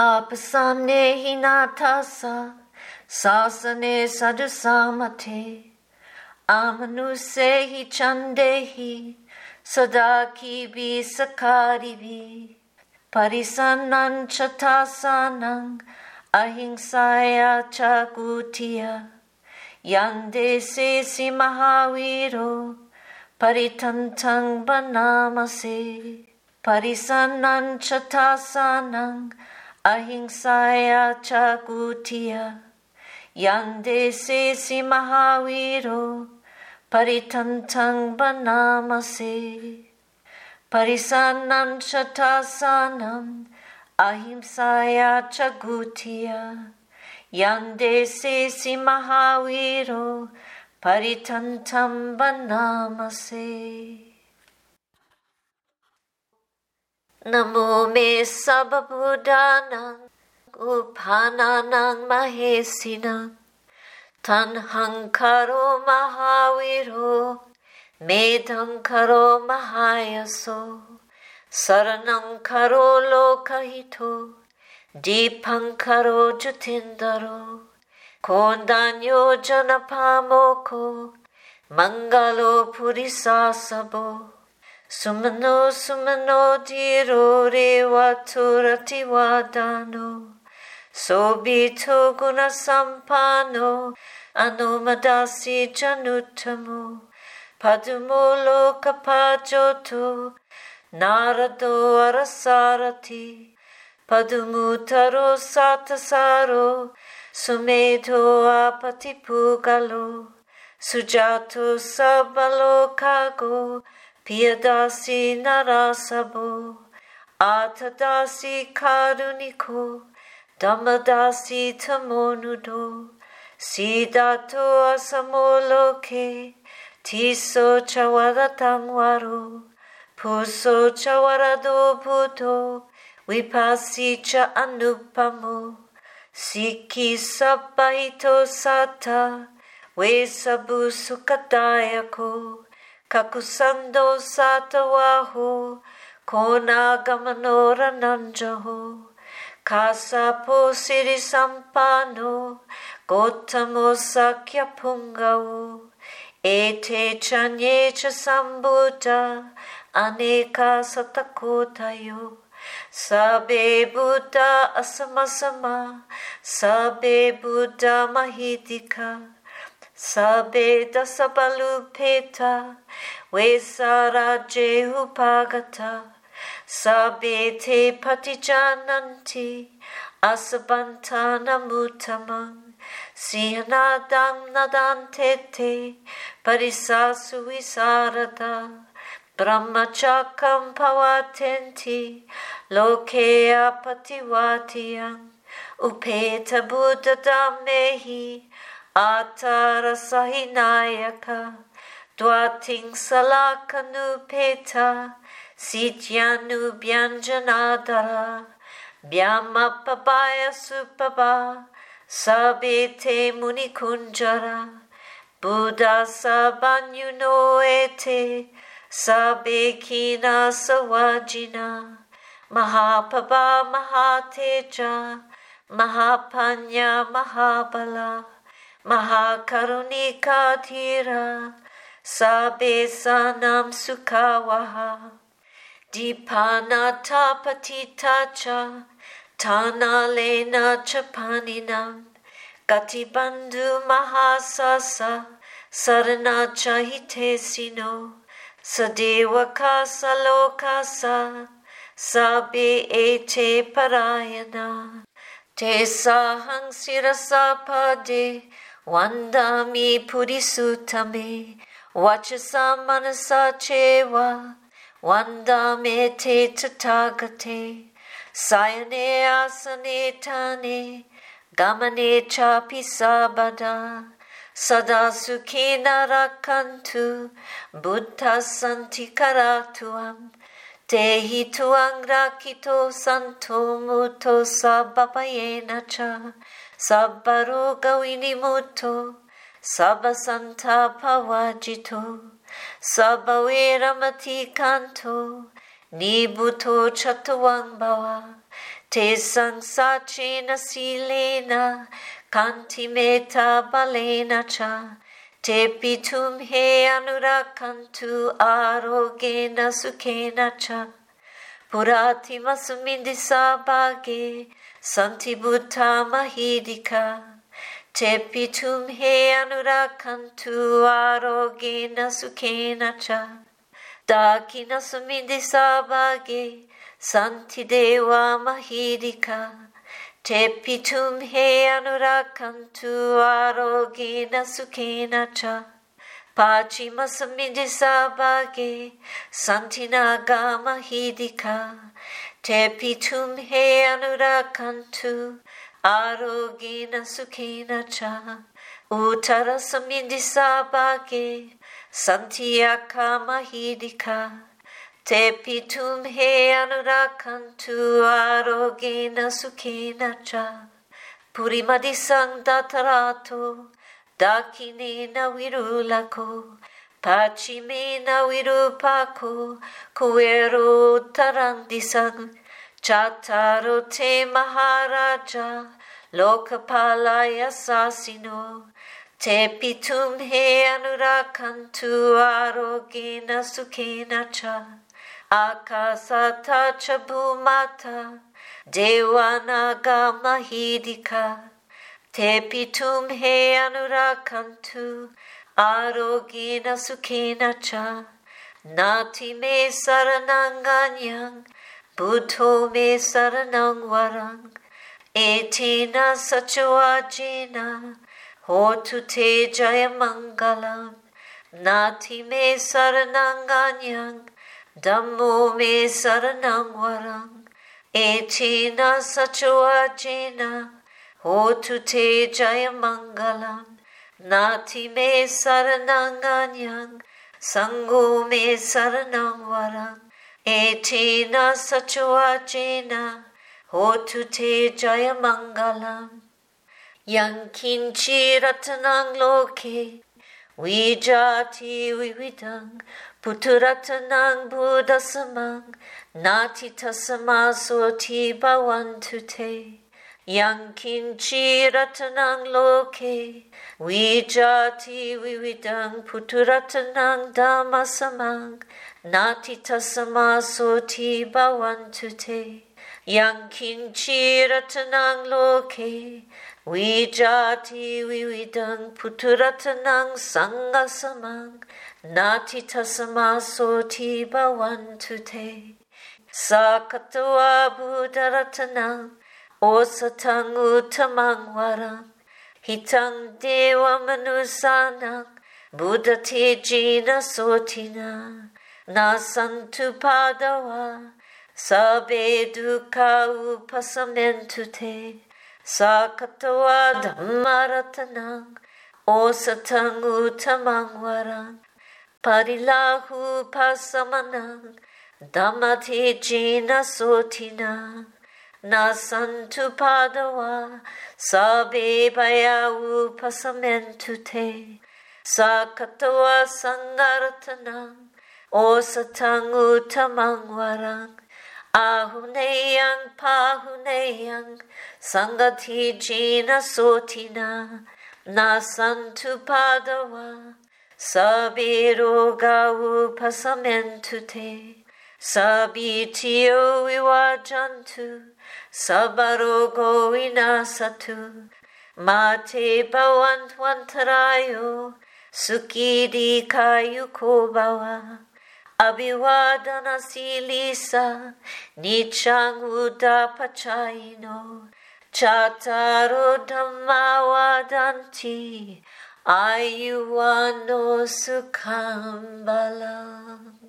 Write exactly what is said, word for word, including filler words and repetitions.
Appasannehi nāthassa sāsane sādhusammate, amanussehi cāndehi sadā kibhi sakkāribhi. Parisannānañca dāsānaṃ ahiṃsāya ca guttiyā, yaṃ desesi mahāvīro parittantaṃ bhaṇāma se. Parisannānañca dāsānaṃ ahiṃsāya ca guttiyā, yaṃ desesi mahāvīro parittantaṃ bhaṇāma se. Parisannānañca dāsānaṃ ahiṃsāya ca guttiyā, yaṃ desesi mahāvīro parittantaṃ bhaṇāma se. Namo me sabbabuddhānaṃ uppannānaṃ mahesinaṃ. Taṇhaṅkaro mahāvīro, medhaṅkaro mahāyaso, saraṇaṅkaro lokahito, dīpaṅkaro jitendro, koṇḍañño janapāmokho, maṅgalo purisāsabho. Sumano sumano dhīro, revato rativaḍḍhano, sobhito guṇasampanno, anomadassī januttamo, padumo lokapajjoto, nārado varasārathī, padumu taro sattasāro, sumedho appaṭipuggalo, sujāto sabbalokaggo, piyadassī narāsabho, atthadassī kāruṇiko, dhammadassī tamonudo, siddhattho asamo loke, tisso ca varattha varo, phusso ca varado buddho, vipassī ca anuppamo, sikhī sabbahito satthā, vessabhū sukhadāyako, kakusandho sātāvaho, koṇāgamano raṇañjaho, kassapo sirisampanno, gotamo sakyapuṅgavo. Ete caññe ca sambuddhā, anekā satakoṭayo, sabbe buddhā asamā samā, sabbe buddhā mahiddhikā, sabbe dasabalūpetā, vesārājye upagatā, sabbe te paṭijānanti, asambādhaṃ na muttamaṃ, sīhanādaṃ na danti te, parisāsu vīsāradā, brahmacakkaṃ pavattenti, loke appaṭivattiyaṃ, upeṭṭhabuddhadhammehi, atthalasahi nāyakā, dvattiṃsalakkhānupeṭṭhā, sītyānubyañjanādharā, byāma pāpāya supabbā, sabbe te munikuñjarā, buddhā sabbaññuno ete, sabbe khīṇasāvajinā, mahāpāpā mahātejā, mahāpaññā mahābalā, mahākāruṇikā dhīrā, sabbesānaṃ sukhāvahā. Dibbā nātā patiṭṭhā ca, taṇhālena ca pāṇinā, kāpibandhū mahāsāsā, saraṇā ca hitesino, sadevakā salokāsā, sabbe ete parāyanā. Tesāhaṃ sirasā pade, vandāmi purisuttame, vacasā manasā ceva, vandāmete tathāgate, sayane āsane ṭhāne, gamane cāpi sabbadā, sadā sukhena rakkhantu, buddhā santikarā tvaṃ, dehi tvaṃ rakkhito santo, mutto sabbabhayena ca, sabbarogavinimutto, sabbasantāpavajjito, sabbaveramatikkanto, nibbuto ca tvaṃ bhava. Tesaṃ saccena sīlena khantimetā balena ca, tepi tumhe anurakkhantu ārogyena sukhena ca. Purātimasmiṃ disābhāge santi buddhā mahiddhikā, tepi tumhe anurakkhantu ārogyena sukhena ca. Dakkhiṇasmiṃ disābhāge santi devā mahiddhikā, tepi tumhe anurakkhantu ārogyena sukhena ca. Pacchimasmiṃ disābhāge santi nāgā mahiddhikā, tepi tumhe anurakkhantu ārogyena sukhena ca. Uttarasmiṃ disābhāge santi yakkhā mahiddhikā, tepi tumhe anurakkhantu ārogyena sukhena ca. Purimaṃ disaṃ dhataraṭṭho, dakkhiṇena virūḷhako, pacchimena virūpakkho, kuvero uttaraṃ disaṃ. Cattāro te mahārājā lokapālā yasasino, tepi tumhe anurakkhantu ārogyena sukhena ca. Ākāsaṭṭhā ca bhummaṭṭhā devā nāgā mahiddhikā, tepi tumhe anurakkhantu ārogyena sukhena ca. Natthi me saraṇaṃ aññaṃ, buddho me saraṇaṃ varaṃ, etena saccavajjena hotu te jayamaṅgalaṃ. Natthi me saraṇaṃ aññaṃ, dhammo me saraṇaṃ varaṃ, etena saccavajjena hotu te jayamaṅgalaṃ. Natthi me saraṇaṃ aññaṃ, saṅgho me saraṇaṃ varaṃ, etena saccavajjena hotu te jayamaṅgalaṃ. Yaṅkiñci ratanaṃ loke vijjati vividhaṃ puthu, ratanaṃ buddhasamaṃ natthi, tasmā sotthī bhavantu te. Yaṅkiñci ratanaṃ loke vijjati vividhaṃ puthu, ratanaṃ dhammasamaṃ natthi, tasmā sotthī bhavantu te. Yaṅkiñci ratanaṃ loke vijjati vividhaṃ puthu, ratanaṃ saṅghasamaṃ natthi, tasmā sotthī bhavantu te. Sakkatvā buddharatanaṃ osathaṃ uttamaṃ varaṃ, hitaṃ devamanussānaṃ buddhatejena sotthinā, nassantupaddavā sabbe dukkhā vūpasamentu te. Sakkatvā dhammaratanaṃ osathaṃ uttamaṃ varaṃ, pariḷāhūpasamanaṃ dhammatejena sotthinā, nassantupaddavā sabbe bhayā vūpasamentu te. Sakkatvā saṅgharatanaṃ osathaṃ uttamaṃ varaṃ, āhuneyyaṃ pāhuneyyaṃ saṅghatejena sotthinā, nassantupaddavā sabbe rogā vūpasamentu te. Sabbītiyo vivajjantu, sabbarogo vinassatu, mā te bhavatvantarāyo, sukhī dīghāyuko bhava. Abhivādanasīlissa niccaṃ vuḍḍhāpacāyino, cattāro dhammā vaḍḍhanti, āyu vaṇṇo sukhaṃ balaṃ.